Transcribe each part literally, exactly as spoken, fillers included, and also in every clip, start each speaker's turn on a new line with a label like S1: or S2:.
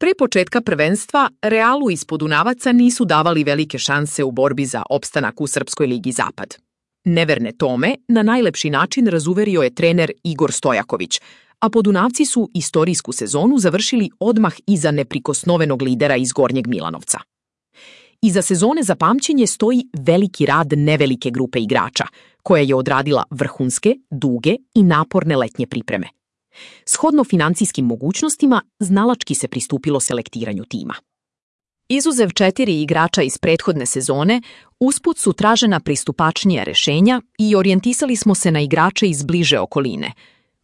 S1: Pre početka prvenstva, Realu iz Podunavaca nisu davali velike šanse u borbi za opstanak u Srpskoj ligi Zapad. Neverne tome na najlepši način razuverio je trener Igor Stojaković, a Podunavci su istorijsku sezonu završili odmah iza neprikosnovenog lidera iz Gornjeg Milanovca. Iza sezone za pamćenje stoji veliki rad nevelike grupe igrača, koja je odradila vrhunske, duge i naporne letnje pripreme. Shodno financijskim mogućnostima, znalački se pristupilo selektiranju tima. Izuzev četiri igrača iz prethodne sezone, usput su tražena pristupačnija rešenja i orijentisali smo se na igrače iz bliže okoline.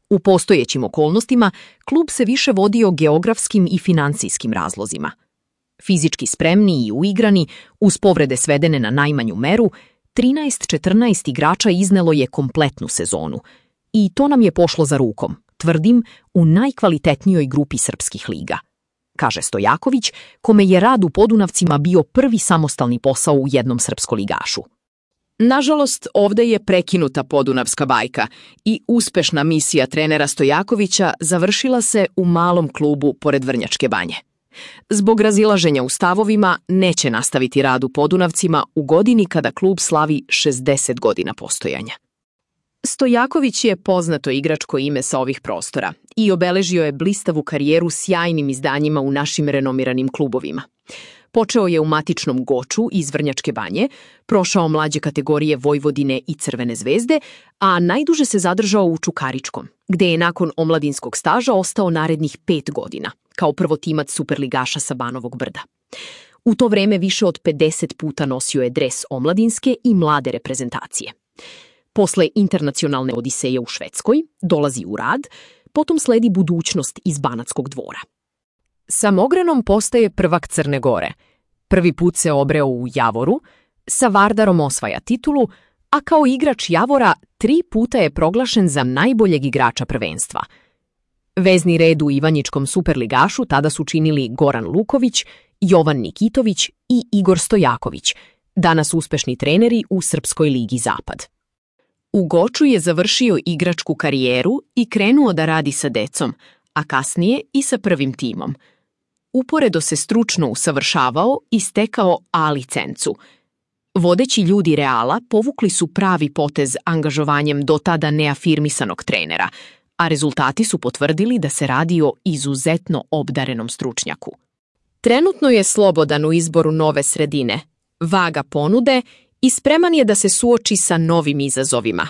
S1: U postojećim okolnostima, klub se više vodio geografskim i financijskim razlozima. Fizički spremni i uigrani, uz povrede svedene na najmanju meru, trinaest četrnaest igrača iznelo je kompletnu sezonu. I to nam je pošlo za rukom, tvrdim, u najkvalitetnijoj grupi srpskih liga, kaže Stojaković, kome je rad u Podunavcima bio prvi samostalni posao u jednom srpskoligašu. Nažalost, ovde je prekinuta podunavska bajka i uspešna misija trenera Stojakovića završila se u malom klubu pored Vrnjačke Banje. Zbog razilaženja u stavovima neće nastaviti rad u Podunavcima u godini kada klub slavi šezdeset godina postojanja. Stojaković je poznato igračko ime sa ovih prostora i obeležio je blistavu karijeru sjajnim izdanjima u našim renomiranim klubovima. Počeo je u matičnom Goču iz Vrnjačke Banje, prošao mlađe kategorije Vojvodine i Crvene zvezde, a najduže se zadržao u Čukaričkom, gde je nakon omladinskog staža ostao narednih pet godina, kao prvotimac superligaša sa Banovog Brda. U to vreme više od pedeset puta nosio je dres omladinske i mlade reprezentacije. Posle internacionalne odiseje u Švedskoj dolazi u rad, potom sledi budućnost iz Banatskog Dvora. Sa Mogranom postaje prvak Crne Gore. Prvi put se obreo u Javoru, sa Vardarom osvaja titulu, a kao igrač Javora tri puta je proglašen za najboljeg igrača prvenstva. Vezni red u Ivanjičkom superligašu tada su činili Goran Luković, Jovan Nikitović i Igor Stojaković, danas uspešni treneri u Srpskoj ligi Zapad. U Goču je završio igračku karijeru i krenuo da radi sa decom, a kasnije i sa prvim timom. Uporedo se stručno usavršavao i stekao A licencu. Vodeći ljudi Reala povukli su pravi potez angažovanjem do tada neafirmisanog trenera, a rezultati su potvrdili da se radi o izuzetno obdarenom stručnjaku. Trenutno je slobodan u izboru nove sredine, vaga ponude i spreman je da se suoči sa novim izazovima.